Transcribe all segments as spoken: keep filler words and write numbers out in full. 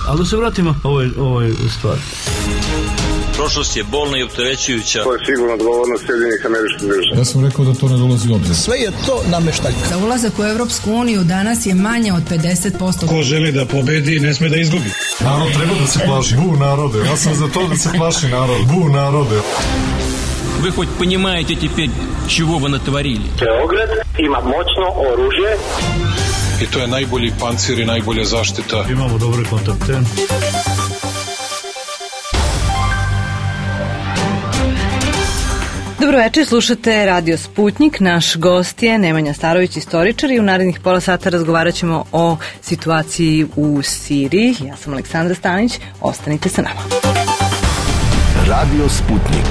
Ali da se vratimo ovoj, ovoj stvari. Prošlost je bolna i opterećujuća. To je sigurno odgovornost Sjedinjenih Američkih Država. Ja sam rekao da to ne dolazi u obzir. Sve je to nameštaljka. Za ulazak u Evropsku uniju danas je manje od pedeset posto. Ko želi da pobedi, ne sme da izgubi. Narod treba da se plaši. Bu narode. Ja sam za to da se plaši narod. Bu narode. Вы хоть понимаете теперь, чего вы натворили? Beograd ima moćno oružje. I to je najbolji pancir i najbolja zaštita. Imamo dobre kontakte. Dobro večer, slušate Radio Sputnik. Naš gost je Nemanja Starović, istoričar, i u narednih pola sata razgovarat ćemo o situaciji u Siriji. Ja sam Aleksandra Stanić, ostanite sa nama. Radio Sputnik.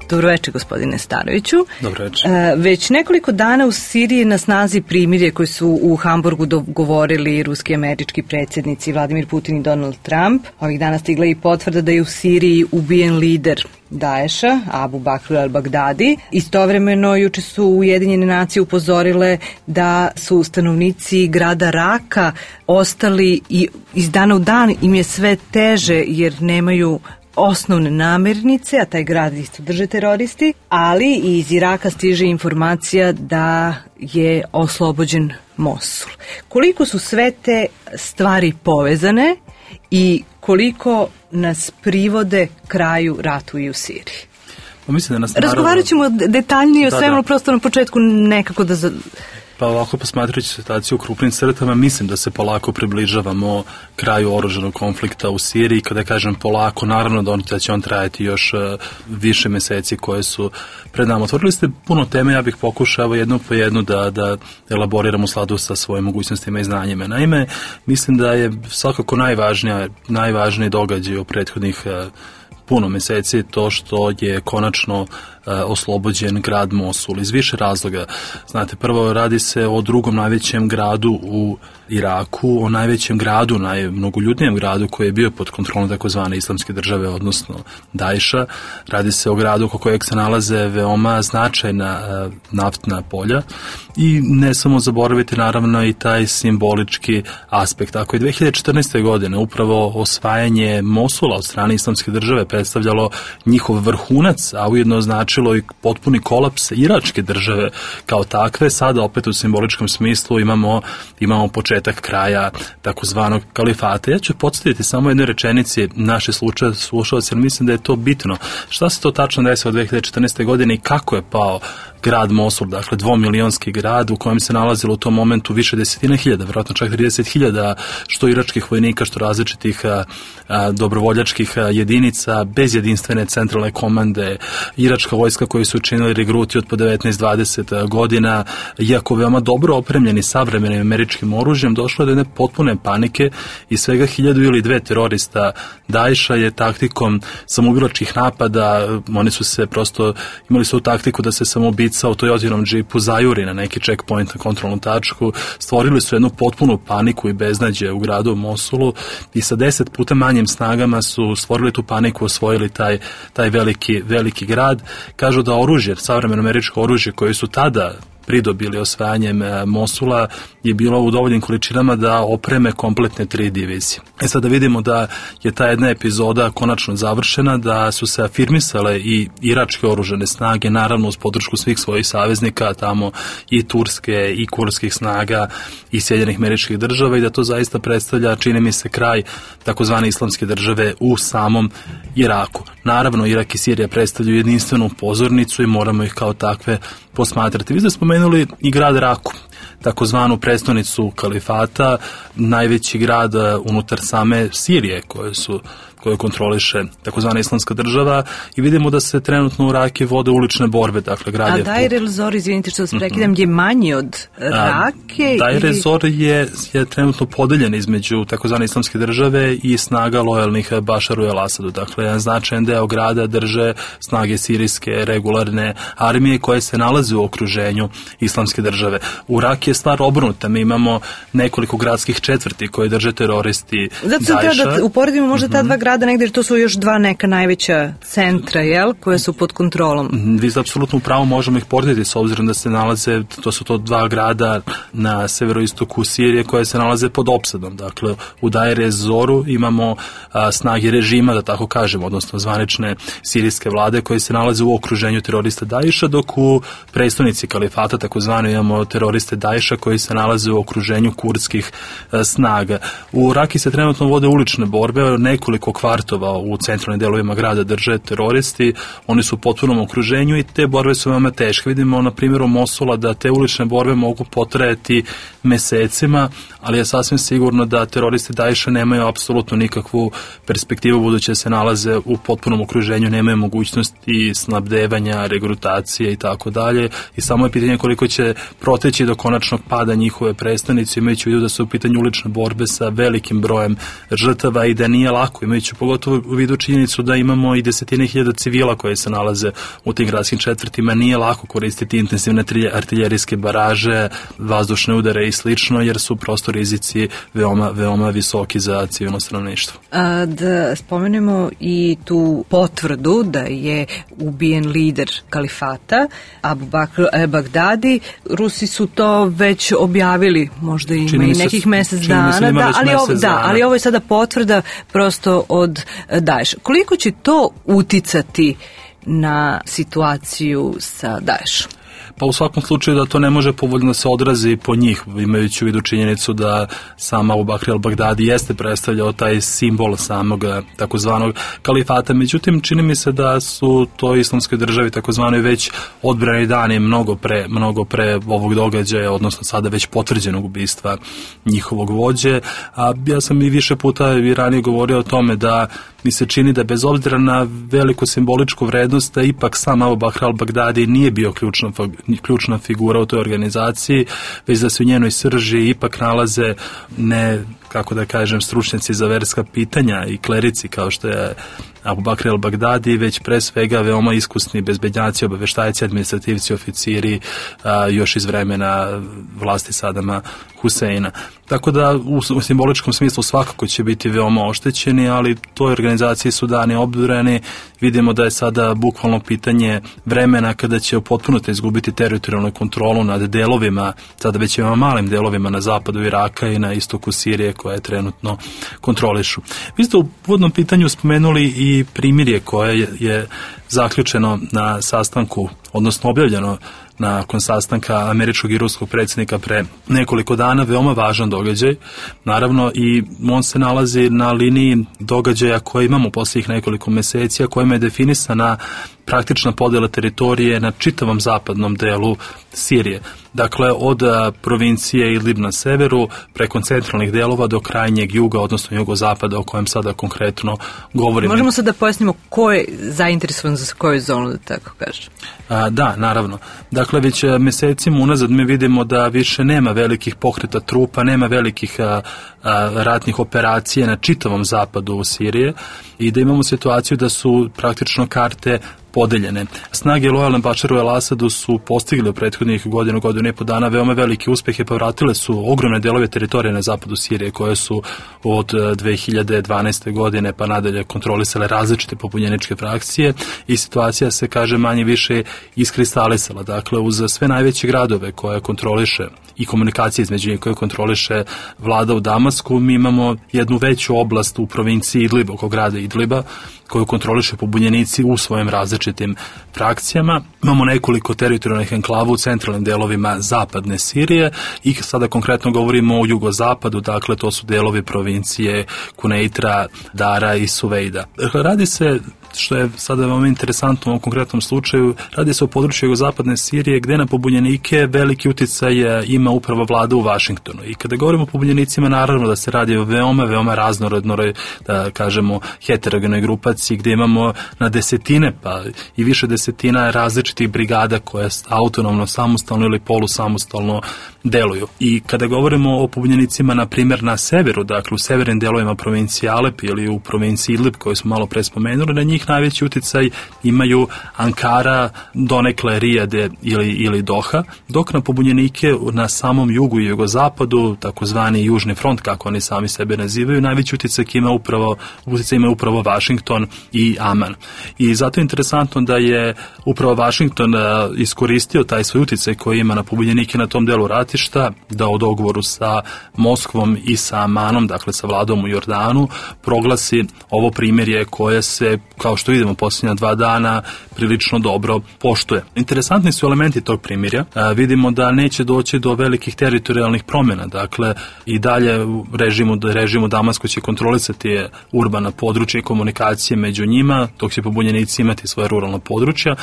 Dobro večer, gospodine Staroviću. Dobro večer. E, već nekoliko dana u Siriji na snazi primirje koje su u Hamburgu dogovorili ruski i američki predsjednici Vladimir Putin i Donald Trump. Ovih dana stigla i potvrda da je u Siriji ubijen lider Daesha, Abu Bakr al-Baghdadi. Istovremeno, juče su Ujedinjene nacije upozorile da su stanovnici grada Raka ostali i iz dana u dan im je sve teže jer nemaju osnovne namirnice, a taj grad isto drže teroristi, ali iz Iraka stiže informacija da je oslobođen Mosul. Koliko su sve te stvari povezane i koliko nas privode kraju ratu i u Siriji? Pa mislim da nas naravno... Razgovarat ćemo detaljnije o da, svemu, da. prosto na početku nekako da... Za... Pa ovako, posmatrajući situaciju u krupnim crtama, mislim da se polako približavamo kraju oružanog konflikta u Siriji. Kada kažem polako, naravno da će on trajati još uh, više meseci koje su pred nama. Otvorili ste puno teme, ja bih pokušao evo jednu po jednu da, da elaboriram u skladu sa svojim mogućnostima i znanjima. Naime, mislim da je svakako najvažnija, najvažniji događaj u prethodnih uh, puno meseci to što je konačno uh, oslobođen grad Mosul iz više razloga. Znate, prvo radi se o drugom najvećem gradu u Iraku, o najvećem gradu, najmnogoljudnijem gradu koji je bio pod kontrolom takozvane islamske države, odnosno Daesha. Radi se o gradu oko kojeg se nalaze veoma značajna uh, naftna polja i ne samo zaboraviti naravno i taj simbolički aspekt. Ako je dve hiljade četrnaeste. godine upravo osvajanje Mosula od strane islamske države predstavljalo njihov vrhunac, a ujedno značilo i potpuni kolaps iračke države kao takve, sada opet u simboličkom smislu imamo, imamo početak kraja takozvanog kalifata. Ja ću podsjetiti samo jednoj rečenici naše slušalce, jer mislim da je to bitno. Šta se to tačno desilo od dve hiljade četrnaeste. godine i kako je pao grad Mosul, dakle dvomilionski grad u kojem se nalazilo u tom momentu više desetina hiljada, vjerojatno čak trideset hiljada što iračkih vojnika, što različitih a, a, dobrovoljačkih a, jedinica, bez jedinstvene centralne komande, iračka vojska koji su učinili regruti od po devetnaest dvadeset godina, iako veoma dobro opremljeni savremenim američkim oružjem, došlo je do jedne potpune panike i svega hiljadu ili dve terorista Daesha je taktikom samoubilačkih napada, oni su se prosto, imali su taktiku da se samoubica u Toyotinom džipu zajuri na neki checkpoint na kontrolnu tačku, stvorili su jednu potpunu paniku i beznađe u gradu Mosulu i sa deset puta manjim snagama su stvorili tu paniku, osvojili taj, taj veliki, veliki grad. Kažu da oružje, savremeno američko oružje koje su tada pridobili osvajanjem Mosula je bilo u dovoljnim količinama da opreme kompletne tri divizije. E sad da vidimo da je ta jedna epizoda konačno završena, da su se afirmisale i iračke oružane snage, naravno uz podršku svih svojih saveznika, tamo i turske i kurskih snaga i Sjedinjenih Američkih Država, i da to zaista predstavlja, čini mi se, kraj takozvane islamske države u samom Iraku. Naravno, Irak i Sirija predstavljaju jedinstvenu pozornicu i moramo ih kao takve posmatrati. Vi ste spomenuli i grad Raku, takozvanu prestonicu kalifata, najveći grad unutar same Sirije koje su koje kontroliše takozvana islamska država, i vidimo da se trenutno u Raki vode ulične borbe, dakle grad A je... Deir el-Zor, izvinite što vas prekidam, mm-hmm. je manji od Rake? Deir ili... el-Zor je, je trenutno podeljen između takozvane islamske države i snaga lojalnih Bašaru el-Asadu. Dakle, jedan značajan deo grada drže snage sirijske regularne armije koje se nalaze u okruženju islamske države. U Raki je stvar obrnuta. Mi imamo nekoliko gradskih četvrti koje drže teroristi Zato sam Daesha. treba da uporedimo možda ta dva grada sada negdje, jer to su još dva neka najveća centra, jel, koje su pod kontrolom. Vi ste apsolutno u pravu, možemo ih porediti s obzirom da se nalaze, to su to dva grada na severoistoku Sirije koje se nalaze pod opsadom. Dakle, u Deir ez-Zoru imamo a, snage režima, da tako kažemo, odnosno zvanične sirijske vlade koje se nalaze u okruženju terorista Daesha, dok u prestonici kalifata, takozvano, imamo teroriste Daesha koji se nalaze u okruženju kurdskih a, snaga. U Raki se trenutno vode ulične borbe, nekoliko kvartova u centralnim delovima grada drže teroristi, oni su u potpunom okruženju i te borbe su veoma teške. Vidimo na primjeru Mosula da te ulične borbe mogu potrajati mesecima, ali je sasvim sigurno da teroristi Daesha nemaju apsolutno nikakvu perspektivu, budući se nalaze u potpunom okruženju, nemaju mogućnosti snabdevanja, regrutacije i tako dalje, i samo je pitanje koliko će proteći do konačnog pada njihove prestonice, imajući u vidu da su u pitanju ulične borbe sa velikim brojem žrtava i da nije lako, imajući pogotovo u vidu činjenicu da imamo i desetine hiljada civila koje se nalaze u tim gradskim četvrtima, nije lako koristiti intenzivne artiljerijske baraže, vazdušne udare i slično, jer su prosto rizici veoma, veoma visoki za civilno stanovništvo. A da spomenemo i tu potvrdu da je ubijen lider kalifata, Abu Bakr el-Baghdadi. Rusi su to već objavili, možda ima i nekih mjesec dana, da, da, ali, ovo, da, ali ovo je sada potvrda prosto od Daesha. Koliko će to uticati na situaciju sa Daeshom? Pa u svakom slučaju da to ne može povoljno se odrazi po njih, imajući u vidu činjenicu da sam Abu Bakr el-Baghdadi jeste predstavljao taj simbol samog takozvanog kalifata. Međutim, čini mi se da su to islamskoj državi takozvanoj već odbrani dani mnogo pre, mnogo pre ovog događaja, odnosno sada već potvrđenog ubistva njihovog vođe. A ja sam i više puta i ranije govorio o tome da mi se čini da bez obzira na veliku simboličku vrednost, da ipak sam Abu Bakr el-Baghdadi nije bio ključna, ključna figura u toj organizaciji, već da se u njenoj srži ipak nalaze ne, kako da kažem, stručnjaci za verska pitanja i klerici kao što je Abu Bakr el-Baghdadi, već pre svega veoma iskusni bezbednjaci, obaveštajci, administrativci, oficiri, a, još iz vremena vlasti Sadama Huseina. Tako da u, u simboličkom smislu svakako će biti veoma oštećeni, ali toj organizaciji su dani obdureni. Vidimo da je sada bukvalno pitanje vremena kada će potpuno izgubiti teritorijalnu kontrolu nad delovima, sada već veoma malim delovima na zapadu Iraka i na istoku Sirije koje trenutno kontrolišu. Vi ste u uvodnom pitanju spomenuli i primirje koje je, je zaključeno na sastanku, odnosno objavljeno nakon sastanka američkog i ruskog predsjednika pre nekoliko dana, veoma važan događaj. Naravno, i on se nalazi na liniji događaja koje imamo posljednjih nekoliko meseci, a kojima je definisana praktična podjela teritorije na čitavom zapadnom delu Sirije. Dakle, od a, provincije Idlib na severu, preko centralnih delova do krajnjeg juga, odnosno jugozapada, o kojem sada konkretno govorimo. Možemo sad da pojasnimo ko je zainteresovan za koju zonu, da tako kažem. A, da, naravno. Dakle, već mesecima unazad mi vidimo da više nema velikih pokreta trupa, nema velikih a, a, ratnih operacija na čitavom zapadu Sirije i da imamo situaciju da su praktično karte podeljene. Snage lojalne Bašaru el-Asadu su postigli u prethodnih godinu, godinu i po dana veoma velike uspehe, povratile su ogromne delove teritorije na zapadu Sirije koje su od dve hiljade dvanaeste godine pa nadalje kontrolisale različite pobunjeničke frakcije i situacija se, kaže, manje više iskristalisala. Dakle, uz sve najveće gradove koje kontroliše i komunikacije između njih koje kontroliše vlada u Damasku, mi imamo jednu veću oblast u provinciji Idlib, oko grada Idliba, koju kontroliše pobunjenici u svojim različitim frakcijama. Imamo nekoliko teritorijalnih enklava u centralnim delovima zapadne Sirije i sada konkretno govorimo o jugozapadu, dakle to su delovi provincije Kuneitra, Dara i Suvejda. Radi se, što je sada veoma interesantno u ovom konkretnom slučaju, radi se o području jugozapadne Sirije gde na pobunjenike veliki uticaj ima upravo vlada u Vašingtonu. I kada govorimo o pobunjenicima, naravno da se radi o veoma, veoma raznorodnoj, da kažemo, heterogenoj grupaciji gde imamo na desetine pa i više desetina različitih brigada koje autonomno, samostalno ili polusamostalno deluju. I kada govorimo o pobunjenicima, na primjer, na severu, dakle u severnim delovima provincije Alep ili u provinciji Idlib koju smo malo pre spomenuli, na njih ipak najveći uticaj imaju Ankara, donekle Rijade ili, ili Doha, dok na pobunjenike na samom jugu i jugozapadu, takozvani Južni front, kako oni sami sebe nazivaju, najveći uticaj ima upravo, uticaj ima upravo Vašington i Aman. I zato je interesantno da je upravo Vašington iskoristio taj svoj uticaj koji ima na pobunjenike na tom delu ratišta, da u dogovoru sa Moskvom i sa Amanom, dakle sa vladom u Jordanu, proglasi ovo primirje koje se, kao što vidimo posljednja dva dana, prilično dobro poštuje. Interesantni su elementi tog primirja. E, vidimo da neće doći do velikih teritorijalnih promjena, dakle i dalje režimu, režimu Damasko će kontrolisati urbana područja i komunikacije među njima, dok će pobunjenici imati svoje ruralno područja,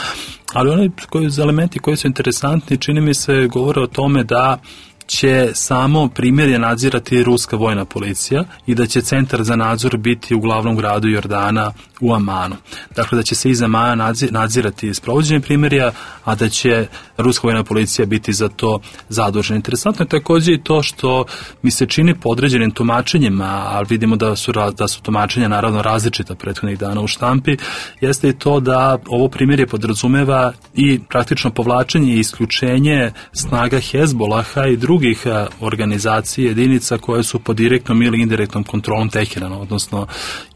ali oni koji, elementi koji su interesantni, čini mi se, govore o tome da će samo primirje nadzirati ruska vojna policija i da će centar za nadzor biti u glavnom gradu Jordana u Amanu. Dakle, da će se iz Amana nadzirati sprovođenje primirja, a da će ruska vojna policija biti za to zadužena. Interesantno je također i to što mi se čini po određenim tumačenjima, ali vidimo da su, da su tumačenja naravno različita prethodnih dana u štampi, jeste i to da ovo primirje podrazumeva i praktično povlačenje i isključenje snaga Hezbolaha i drugih drugih organizacija, jedinica koje su pod direktnom ili indirektnom kontrolom Teherana, odnosno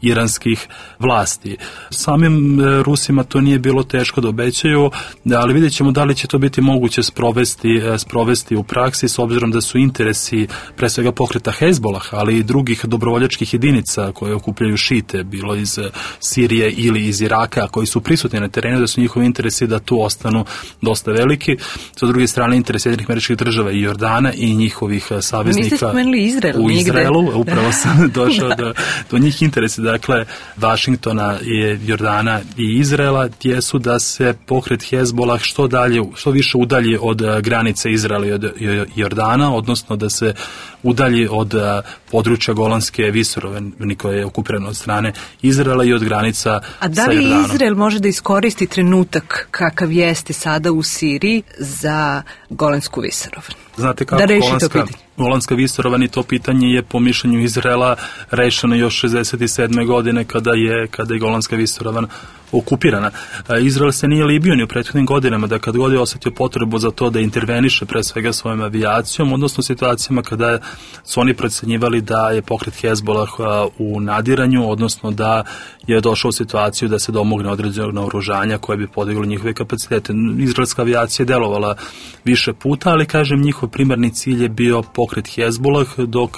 iranskih vlasti. Samim Rusima to nije bilo teško da obećaju, ali vidjet ćemo da li će to biti moguće sprovesti, sprovesti u praksi, s obzirom da su interesi pre svega pokreta Hezbolaha, ali i drugih dobrovoljačkih jedinica koje okupljaju šite, bilo iz Sirije ili iz Iraka, koji su prisutni na terenu, da su njihovi interesi da tu ostanu dosta veliki. Sa druge strane, interes Sjedinjenih Američkih Država i Jordana i njihovih saveznika. Niste spomenuli Izrael. U Izraelu, nigde. Upravo sam došao do, do njih interesa, dakle, Vašingtona, i Jordana i Izraela, jesu da se pokret Hezbolah što dalje, što više udalji od granice Izraela i od Jordana, odnosno da se udalji od područja Golanske visoravni koje je okupirano od strane Izraela i od granica sa Jordanom. A da li Izrael može da iskoristi trenutak kakav jeste sada u Siriji za Golansku visoravan? Znate kako, da Golanska, Golanska visoravan i to pitanje je po mišljenju Izraela rešeno još šezdeset sedme godine kada je, kada je Golanska visoravan okupirana. Izrael se nije libio ni u prethodnim godinama da kad god je osjetio potrebu za to da interveniše pre svega svojom avijacijom, odnosno situacijama kada su oni procenjivali da je pokret Hezbolah u nadiranju, odnosno da je došao u situaciju da se domogne određenog naoružanja koje bi podiglo njihove kapacitete. Izraelska avijacija je delovala više puta, ali kažem, njihov primarni cilj je bio pokret Hezbolah, dok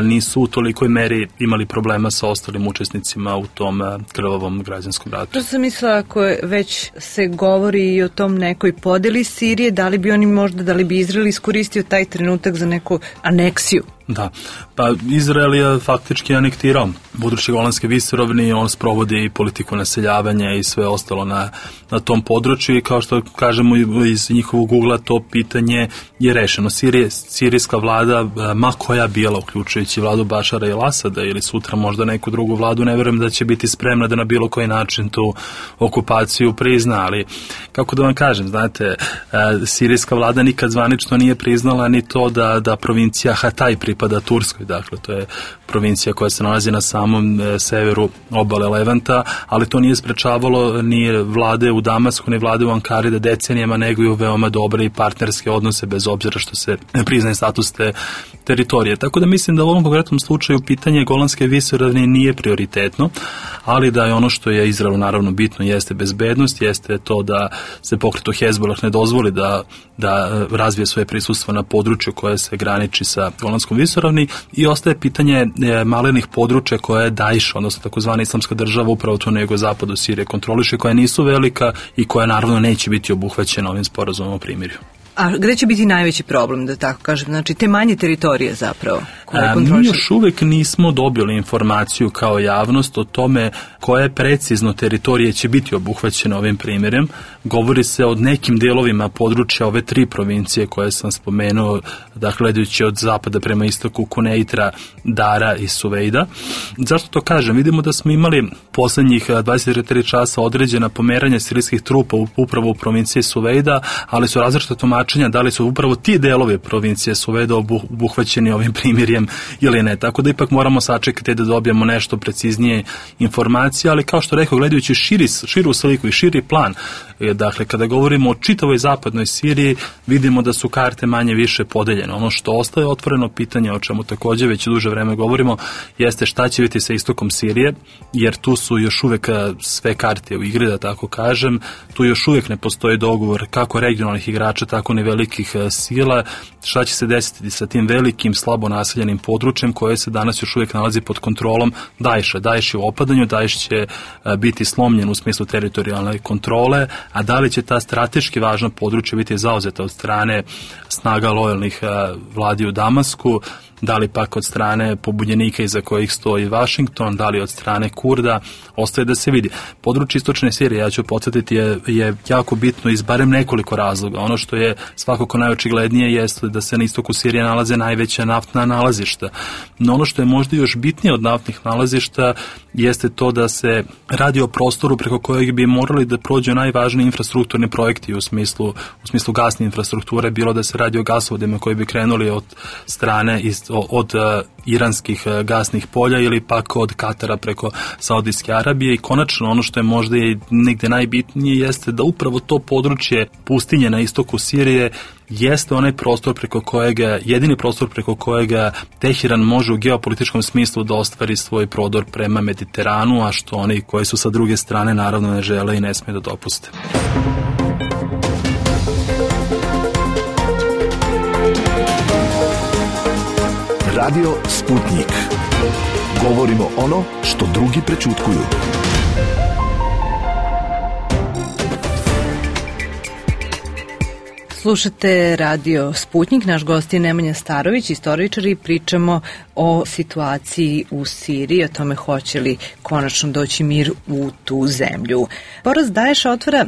nisu u tolikoj meri imali problema sa ostalim učesnicima u tom krvavom građanskom ratu. To sam mislila, ako već se govori i o tom nekoj podeli Sirije, da li bi oni možda, da li bi Izrael iskoristio taj trenutak za neku aneksiju? Da, pa Izrael je faktički anektirao područje Golanske visoravni, on sprovodi i politiku naseljavanja i sve ostalo na, na tom području i kao što kažemo iz njihovog ugla to pitanje je rešeno. Sirije, sirijska vlada, ma koja bila, uključujući vladu Bašara i Asada ili sutra možda neku drugu vladu, ne vjerujem da će biti spremna da na bilo koji način tu okupaciju prizna, ali kako da vam kažem, znate, sirijska vlada nikad zvanično nije priznala ni to da, da provincija Hataj pripada Turskoj, dakle to je provincija koja se nalazi na samom e, severu obale Levanta, ali to nije sprečavalo ni vlade u Damasku, ni vlade u Ankari da decenijama neguju veoma dobre i partnerske odnose bez obzira što se ne priznaje status te teritorije. Tako da mislim da u ovom konkretnom slučaju pitanje Golanske visoravni nije prioritetno, ali da je ono što je Izraelu naravno bitno jeste bezbednost, jeste to da se pokretu Hezbolah ne dozvoli da, da razvije svoje prisustvo na području koje se graniči sa Golanskom visoravni i ostaje pitanje malenih područja koje je Daesh, odnosno takozvana islamska država upravo tu na jugozapadu Sirije kontroliše, koja nisu velika i koja naravno neće biti obuhvaćena ovim sporazumom o primirju. A gde će biti najveći problem, da tako kažem? Znači, te manje teritorije zapravo koje kontroliše? Mi još uvek nismo dobili informaciju kao javnost o tome koje precizno teritorije će biti obuhvaćene ovim primjerem. Govori se o nekim delovima područja ove tri provincije koje sam spomenuo, dakle, gledajući od zapada prema istoku, Kuneitra, Dara i Suvejda. Zašto to kažem? Vidimo da smo imali poslednjih dvadeset tri časa određena pomeranja sirijskih trupa upravo u provinciji Suvejda, ali su različita tumačenja da li su upravo ti delovi provincije Suvejda obuhvaćeni ovim primirjem Sirijem ili ne. Tako da ipak moramo sačekati da dobijemo nešto preciznije informacije, ali kao što rekao, gledajući širi, širu sliku i širi plan, dakle, kada govorimo o čitavoj zapadnoj Siriji, vidimo da su karte manje više podeljene. Ono što ostaje otvoreno pitanje, o čemu također već duže vreme govorimo, jeste šta će biti sa istokom Sirije, jer tu su još uvek sve karte u igri, da tako kažem. Tu još uvijek ne postoji dogovor kako regionalnih igrača, tako ni velikih sila. Šta će se desiti sa tim velikim, slabo naseljenim područjem koje se danas još uvijek nalazi pod kontrolom Daesha. Daesh je u opadanju, Daesh će biti slomljen u smislu teritorijalne kontrole, a da li će ta strateški važna područja biti zauzeta od strane snaga lojalnih vladi u Damasku, da li pak od strane pobunjenika iza kojih stoji Washington, da li od strane Kurda, ostaje da se vidi. Područje istočne Sirije, ja ću podsjetiti, je, je jako bitno iz barem nekoliko razloga. Ono što je svakako najočiglednije jeste da se na istoku Sirije nalaze najveća naftna nalazišta. No ono što je možda još bitnije od naftnih nalazišta jeste to da se radi o prostoru preko kojeg bi morali da prođu najvažniji infrastrukturni projekti u smislu, u smislu gasne infrastrukture, bilo da se radi o gasovodima koji bi krenuli od strane iz od uh, iranskih uh, gasnih polja ili pak od Katara preko Saudijske Arabije. I konačno ono što je možda i negde najbitnije jeste da upravo to područje pustinje na istoku Sirije jeste onaj prostor preko kojega, jedini prostor preko kojega Teheran može u geopolitičkom smislu da ostvari svoj prodor prema Mediteranu, a što oni koji su sa druge strane naravno ne žele i ne smije da dopuste. Radio Sputnik. Govorimo ono što drugi prećutkuju. Slušate Radio Sputnik, naš gost je Nemanja Starović, istoričar, i pričamo o situaciji u Siriji, o tome hoće li konačno doći mir u tu zemlju. Poraz Daesha otvara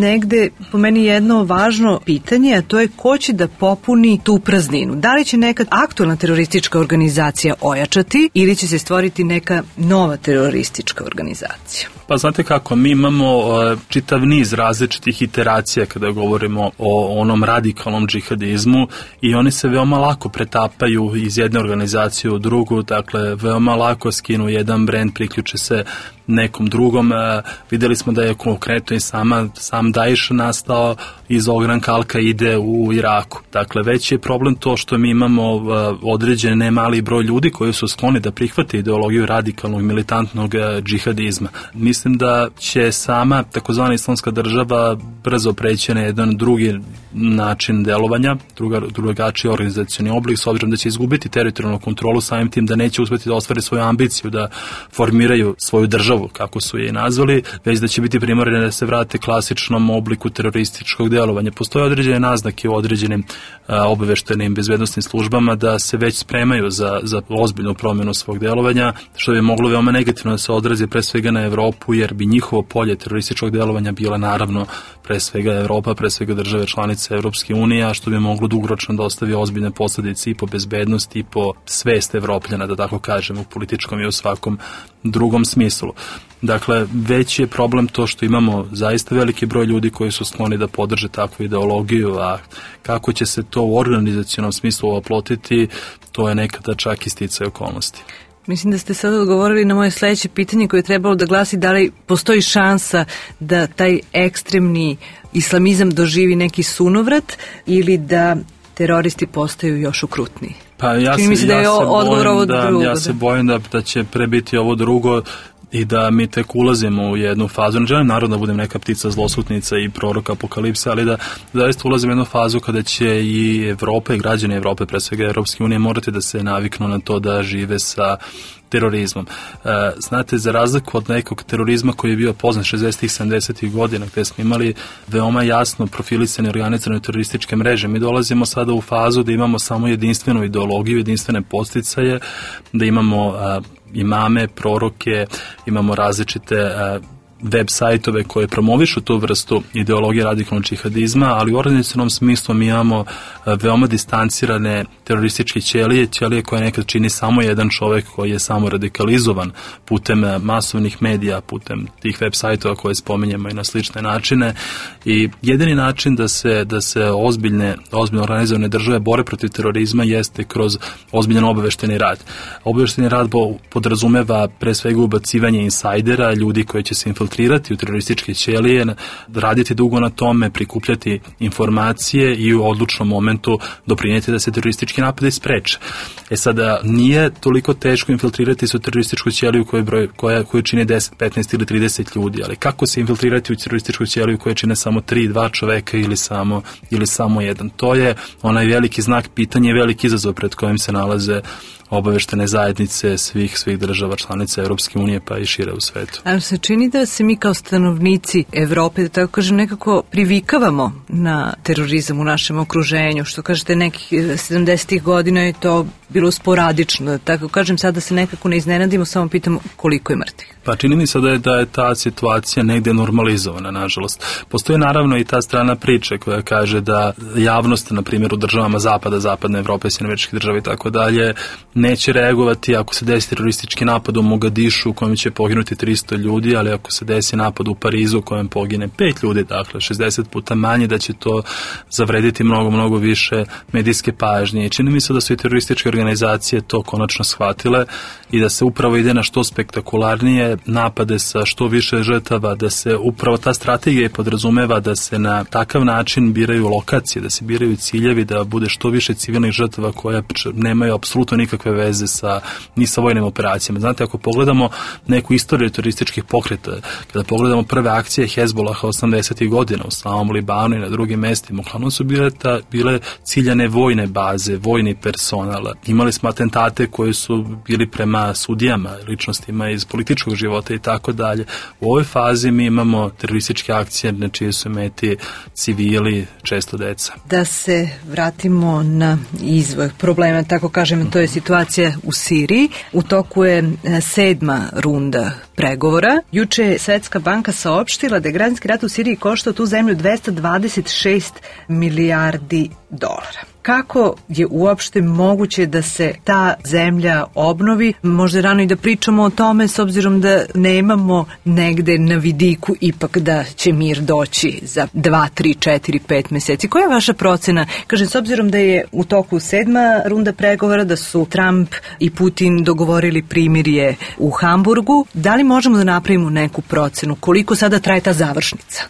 negde po meni jedno važno pitanje, a to je ko će da popuni tu prazninu. Da li će neka aktualna teroristička organizacija ojačati ili će se stvoriti neka nova teroristička organizacija? Pa znate kako, mi imamo uh, čitav niz različitih iteracija kada govorimo o onom radikalnom džihadizmu i oni se veoma lako pretapaju iz jedne organizacije u drugu, dakle veoma lako skinu jedan brend, priključe se nekom drugom. E, videli smo da je konkretno i sama, sam Daesh nastao iz ogranka Al-Kaide u Iraku. Dakle, već je problem to što mi imamo e, određen ne mali broj ljudi koji su skloni da prihvate ideologiju radikalnog militantnog e, džihadizma. Mislim da će sama takozvana islamska država brzo preći na jedan drugi način delovanja, druga, drugačiji organizacioni oblik, s obzirom da će izgubiti teritorijalnu kontrolu, samim tim da neće uspjeti da ostvari svoju ambiciju da formiraju svoju državu, kako su je nazvali, već da će biti primorani da se vrate klasičnom obliku terorističkog delovanja. Postoje određene naznake u određenim a, obaveštajnim bezbednosnim službama da se već spremaju za, za ozbiljnu promjenu svog delovanja, što bi moglo veoma negativno da se odrazi pre svega na Evropu, jer bi njihovo polje terorističkog delovanja bila naravno pre svega Evropa, pre svega države članice Evropske unije, a što bi moglo dugoročno da ostavi ozbiljne posljedice i po bezbednosti i po svest Evropljana, da tako kažem, u političkom i u svakom drugom smislu. Dakle, već je problem to što imamo zaista veliki broj ljudi koji su skloni da podrže takvu ideologiju, a kako će se to u organizacionom smislu oplotiti, to je nekada čak i sticaj okolnosti. Mislim da ste sad odgovorili na moje sledeće pitanje koje je trebalo da glasi da li postoji šansa da taj ekstremni islamizam doživi neki sunovrat ili da teroristi postaju još okrutniji. Pa ja se, se, da ja se bojim da, drugo, ja se bojim da, da će prebiti ovo drugo i da mi tek ulazimo u jednu fazu. Ne želim naravno da budem neka ptica zlosutnica i prorok apokalipse, ali da zaista ulazimo u jednu fazu kada će i Evropa i građani Evrope, pre svega Evropske unije, morati da se naviknu na to da žive sa terorizmom. E, znate, za razliku od nekog terorizma koji je bio poznat šezdesetih sedamdesetih godina, gde smo imali veoma jasno profilisane organizirane terorističke mreže, mi dolazimo sada u fazu da imamo samo jedinstvenu ideologiju, jedinstvene podsticaje, da imamo a, imame, proroke, imamo različite a, web sajtove koje promovišu tu vrstu ideologije radikalnog džihadizma, ali u organizacionom smislu mi imamo veoma distancirane terorističke ćelije, ćelije koje nekad čini samo jedan čovek koji je samo radikalizovan putem masovnih medija, putem tih web sajtova koje spominjemo i na slične načine. I jedini način da se, da se ozbiljne, ozbiljno organizovane države bore protiv terorizma jeste kroz ozbiljan obavešteni rad. Obavešteni rad podrazumeva pre svega ubacivanje insajdera, ljudi koji će se infiltrirati u terorističke ćelije, raditi dugo na tome, prikupljati informacije i u odlučnom momentu doprinijeti da se teroristički napadi spreče. E sada, nije toliko teško infiltrirati se u terorističku ćeliju koju, broj, koja, koju čini deset, petnaest ili trideset ljudi, ali kako se infiltrirati u terorističku ćeliju koja čine samo tri, dva čoveka ili samo, ili samo jedan? To je onaj veliki znak pitanja i veliki izazov pred kojim se nalaze obaveštene zajednice svih svih država članica Europske unije pa i šire u svetu. Ali se čini da se mi kao stanovnici Evrope, da tako kažem, nekako privikavamo na terorizam u našem okruženju, što kažete nekih sedamdesetih godina je to bilo sporadično, da tako kažem, sada se nekako ne iznenadimo, samo pitamo koliko je mrtvih. Pa čini mi se da je, da je ta situacija negde normalizovana, nažalost. Postoji naravno i ta strana priče koja kaže da javnost, na primjer u državama Zapada, Zapadne Evrope, Sjedinjenih Američkih Država i tako dalje, neće reagovati ako se desi teroristički napad u Mogadišu u kojem će poginuti tristo ljudi, ali ako se desi napad u Parizu u kojem pogine pet ljudi, dakle šezdeset puta manje, da će to zavrediti mnogo, mnogo više medijske pažnje. I čini mi se da su i terorističke organizacije to konačno shvatile i da se upravo ide na što spektakularnije napade sa što više žrtava, da se upravo ta strategija podrazumeva da se na takav način biraju lokacije, da se biraju ciljevi, da bude što više civilnih žrtava koje nemaju apsolutno nikakve veze sa, ni sa vojnim operacijama. Znate, ako pogledamo neku istoriju terorističkih pokreta, kada pogledamo prve akcije Hezbolaha osamdesetih godina u samom Libanu i na drugim mestima, uglavnom su bile, ta, bile ciljane vojne baze, vojni personal. Imali smo atentate koji su bili prema sudijama, ličnostima iz političkog života i tako dalje. U ovoj fazi mi imamo terorističke akcije na čiji su meti civili, često deca. Da se vratimo na izvor problema, tako kažem, to je situacija u Siriji. U toku je sedma runda pregovora. Juče je Svetska banka saopštila da je građanski rat u Siriji koštao tu zemlju dvesta dvadeset šest milijardi dolara. Kako je uopšte moguće da se ta zemlja obnovi? Možda je rano i da pričamo o tome, s obzirom da nemamo negde na vidiku ipak da će mir doći za dva, tri, četiri, pet meseci. Koja je vaša procena? Kažem, s obzirom da je u toku sedma runda pregovora, da su Trump i Putin dogovorili primirje u Hamburgu, da li možemo da napravimo neku procenu? Koliko sada traje ta završnica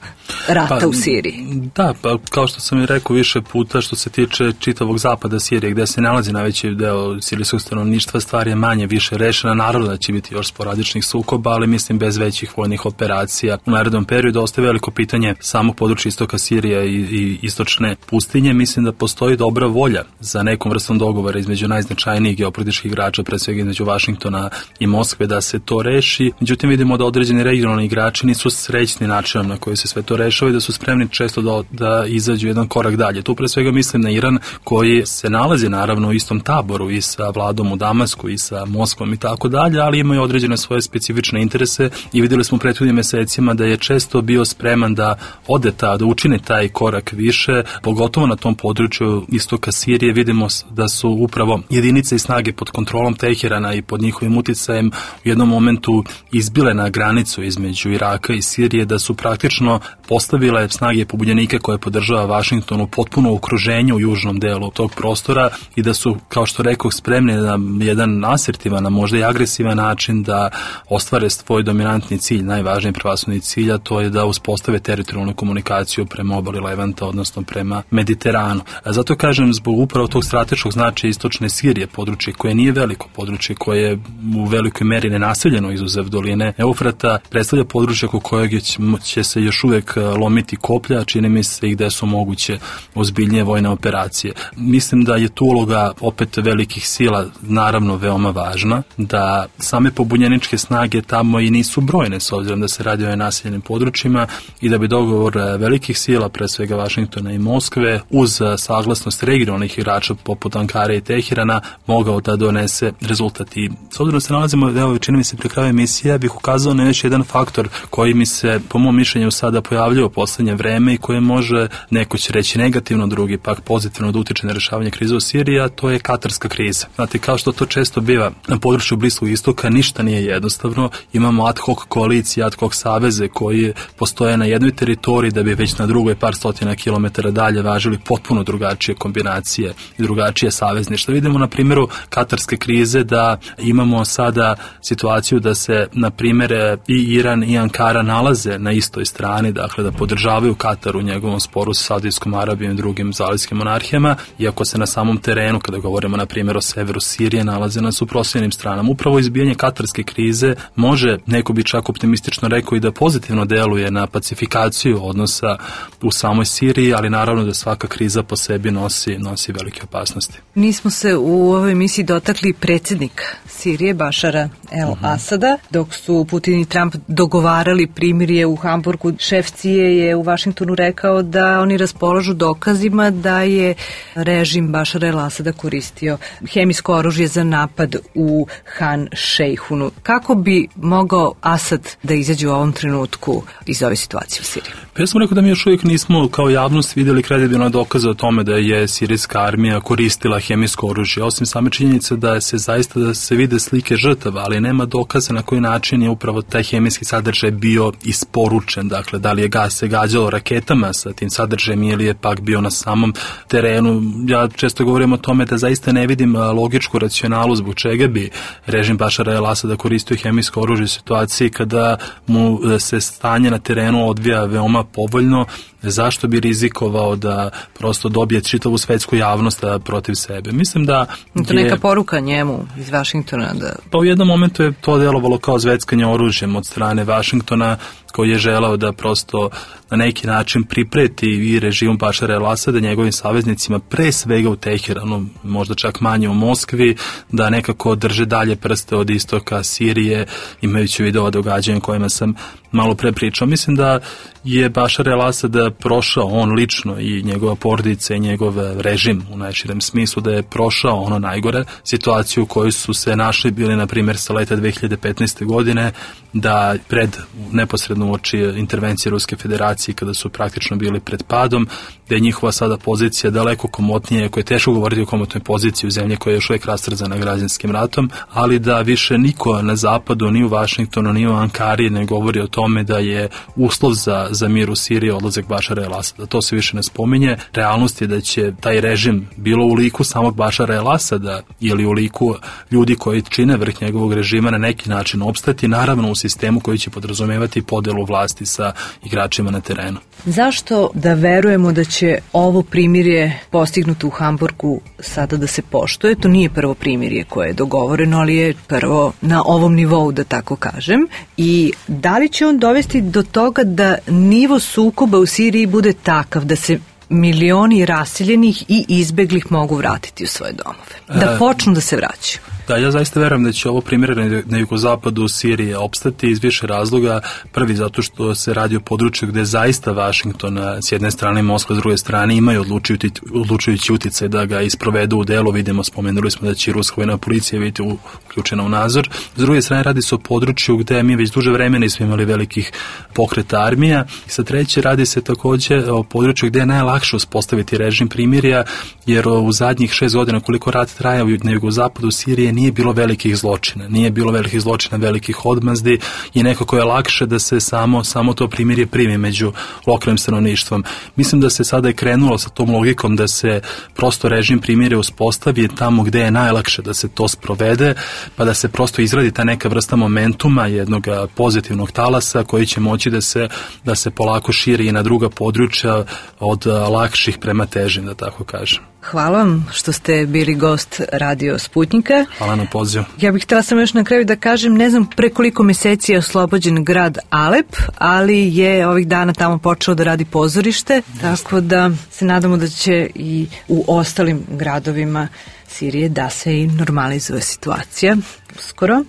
rata pa, u Siriji? Da, pa kao što sam i rekao više puta, što se tiče čitavog zapada Sirije, gde se nalazi najveći deo sirijskog stanovništva, stvar je manje više rešena. Naravno da će biti još sporadičnih sukoba, ali mislim bez većih vojnih operacija. U narednom periodu ostaje veliko pitanje samog područja istoka Sirije i, i istočne pustinje. Mislim da postoji dobra volja za nekom vrstom dogovora između najznačajnijih geopolitičkih igrača, pre svega između Vašingtona i Moskve, da se to reši. Međutim, vidimo da određeni regionalni igrači nisu srećni načinom na koji se sve to rešava i da su spremni često da, da izađu jedan korak dalje. Tu pre svega mislim na Iran, koji se nalazi naravno u istom taboru i sa vladom u Damasku i sa Moskvom i tako dalje, ali imaju određene svoje specifične interese i vidjeli smo u prethodnim mesecima da je često bio spreman da ode ta, da učine taj korak više, pogotovo na tom području istoka Sirije. Vidimo da su upravo jedinice i snage pod kontrolom Teherana i pod njihovim uticajem u jednom momentu izbile na granicu između Iraka i Sirije, da su praktično postavile snage pobunjenika koje podržava Vašington u potpuno okruženju u južnom delu tog prostora i da su, kao što rekao, spremni na jedan asertivan, a možda i agresivan način da ostvare svoj dominantni cilj, najvažniji prvasudni cilj, a to je da uspostave teritorijalnu komunikaciju prema obali Levanta, odnosno prema Mediteranu. A zato kažem, zbog upravo tog strateškog značaja istočne Sirije, područje koje nije veliko, područje koje je u velikoj meri nenaseljeno izuzev doline Eufrata, predstavlja područje oko kojeg će se još uvek lomiti koplja, čini mi se i gde su moguće ozbiljnije vojne operacije. Mislim da je tu uloga opet velikih sila naravno veoma važna, da same pobunjeničke snage tamo i nisu brojne s obzirom da se radi o naseljenim područjima i da bi dogovor velikih sila, pre svega Vašingtona i Moskve, uz saglasnost regionalnih igrača poput Ankare i Teherana, mogao da donese rezultat. I s obzirom da se nalazimo, evo, čini mi se pri kraju emisije, bih ukazao na još jedan faktor koji mi se, po mom mišljenju, sada pojavljuje u poslednje vreme i koje može, neko će reći negativno, drugi pak pozitivno da utiče na rešavanje krize u Siriji, a to je katarska kriza. Znate, kao što to često biva na području Bliskog istoka, ništa nije jednostavno. Imamo ad hoc koalicije, ad hoc saveze koji postoje na jednoj teritoriji da bi već na drugoj par stotina kilometara dalje važili potpuno drugačije kombinacije i drugačije savezništva. Vidimo na primjeru katarske krize da imamo sada situaciju da se, na primjer, i Iran i Ankara nalaze na istoj strani, dakle da podržavaju Katar u njegovom sporu sa Saudijskom Arabijom i drugim zalivskim monarhijama, iako se na samom terenu, kada govorimo na primjer o severu Sirije, nalaze na suprotstavljenim stranama. Upravo izbijanje katarske krize može, neko bi čak optimistično rekao, i da pozitivno deluje na pacifikaciju odnosa u samoj Siriji, ali naravno da svaka kriza po sebi nosi, nosi velike opasnosti. Nismo se u ovoj emisiji dotakli predsjednika Sirije, Bašara el-Asada, dok su Putin i Trump dogovarali primirje u Hamburgu. Šef C I A je u Vašingtonu rekao da oni raspolažu dokazima da je režim Bašara el-Asada koristio hemijsko oružje za napad u Han Šejhunu. Kako bi mogao Asad da izađe u ovom trenutku iz ove situacije u Siriji? Pa ja sam rekao da mi još uvijek nismo kao javnost vidjeli kredibilne dokaze o tome da je sirijska armija koristila hemijsko oružje, osim same činjenice da se zaista da se vide slike žrtava, ali nema dokaza na koji način je upravo taj hemijski sadržaj bio isporučen. Dakle, da li je gas se gađalo raketama sa tim sadržajem ili je pak bio na samom terenu. Ja često govorim o tome da zaista ne vidim logičku racionalu zbog čega bi režim Bašara el-Asada koristio hemijsko oružje u situaciji kada mu se stanje na terenu odvija veoma povoljno. Zašto bi rizikovao da prosto dobije čitavu svetsku javnost protiv sebe? Mislim da to je neka poruka njemu iz Vašingtona. Da... Pa u jednom momentu je to delovalo kao zveckanje oružjem od strane Vašingtona, koji je želao da prosto na neki način pripreti i režimu Bašara el-Asada, njegovim saveznicima, pre svega u Teheranu, možda čak manje u Moskvi, da nekako drže dalje prste od istoka Sirije, imajući video događanja kojima sam malo pre pričao. Mislim da je Bašar el-Asad prošao, on lično i njegova porodica i njegov režim u najširem smislu, da je prošao ono najgore, situaciju u kojoj su se našli bili, na primjer, sa leta dve hiljade petnaeste. godine, da pred neposredno uoči intervencije Ruske federacije, kada su praktično bili pred padom, da je njihova sada pozicija daleko komotnije, koje je teško govoriti o komotnoj poziciji u zemlji koja je još uvijek rastrzana građanskim ratom, ali da više niko na zapadu, ni u Vašingtonu, ni u Ankari ne govori o tome da je uslov za, za mir u Siriji odlazak Bašara el-Asada. To se više ne spominje. Realnost je da će taj režim, bilo u liku samog Bašara el-Asada ili u liku ljudi koji čine vrh njegovog režima, na neki način opstati, naravno u sistemu koji će podrazumevati podelu vlasti sa igračima na terenu. Zašto da verujemo da će ovo primirje postignuto u Hamburgu sada da se poštuje? To nije prvo primirje koje je dogovoreno, ali je prvo na ovom nivou, da tako kažem. I da li će on dovesti do toga da nivo sukoba u Siriji bude takav da se milioni raseljenih i izbeglih mogu vratiti u svoje domove? Da počnu da se vraćaju? Da, ja zaista verujem da će ovo primjer na jugozapadu Sirije opstati iz više razloga. Prvi, zato što se radi o području gde zaista Vašington s jedne strane i Moskva s druge strane imaju odlučujući, odlučujući uticaj da ga isprovedu u delo. Vidimo, spomenuli smo da će ruska vojna policija biti uključena u nadzor. S druge strane, radi se o području gde mi već duže vremena nismo imali velikih pokreta armija. I sa treće, radi se takođe o području gde je najlakše uspostaviti režim primirja, jer u zadnjih šest godina koliko rat traja na jugozapadu Sirije nije bilo velikih zločina, nije bilo velikih zločina, velikih odmazdi i nekako je lakše da se samo, samo to primirje primi među lokalnim stanovništvom. Mislim da se sada je krenulo sa tom logikom da se prosto režim primirja uspostavi tamo gde je najlakše da se to sprovede, pa da se prosto izradi ta neka vrsta momentuma, jednog pozitivnog talasa koji će moći da se, da se polako širi i na druga područja od lakših prema težim, da tako kažem. Hvala vam što ste bili gost Radio Sputnika. Hvala na pozivu. Ja bih htjela samo još na kraju da kažem, ne znam pre koliko meseci je oslobođen grad Alep, ali je ovih dana tamo počelo da radi pozorište, tako da se nadamo da će i u ostalim gradovima Sirije da se i normalizuje situacija uskoro.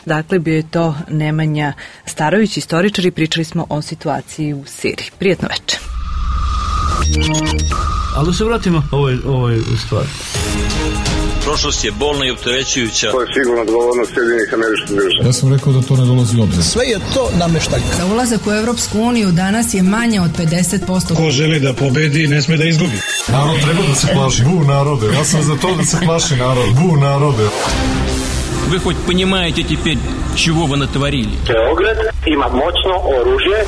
Dakle, bio je to Nemanja Starović, istoričar, i pričali smo o situaciji u Siriji. Prijetno večer. Ali da se vratimo ovoj, ovoj stvari. Prošlost je bolna i opterećujuća. To je sigurno odgovornost Sjedinjenih Američkih Država. Ja sam rekao da to ne dolazi u obzir. Sve je to nameštaj. Za ulazak u Evropsku uniju danas je manje od pedeset posto. Ko želi da pobedi, ne sme da izgubi. Narod treba da se plaši. Bu narode. Ja sam za to da se plaši narod. Bu narode. Вы хоть понимаете теперь, чего вы натворили? Beograd ima moćno oružje.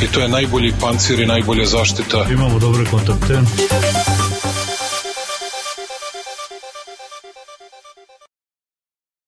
I to je najbolji pancir i najbolja zaštita. Imamo dobre kontakte.